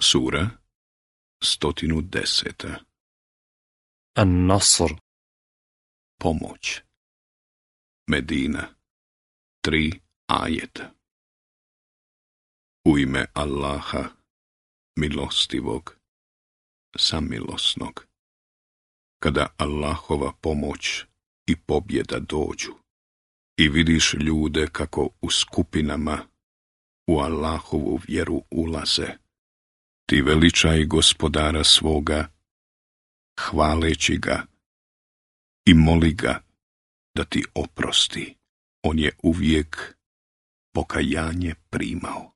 Sura 110. An-Nasr. Pomoć. Medina. 3 ajeta. U ime Allaha, milostivog, samilosnog. Kada Allahova pomoć i pobjeda dođu i vidiš ljude kako u skupinama u Allahovu vjeru ulaze, ti veličaj Gospodara svoga, hvaleći ga i moli ga da ti oprosti. On je uvijek pokajanje primao.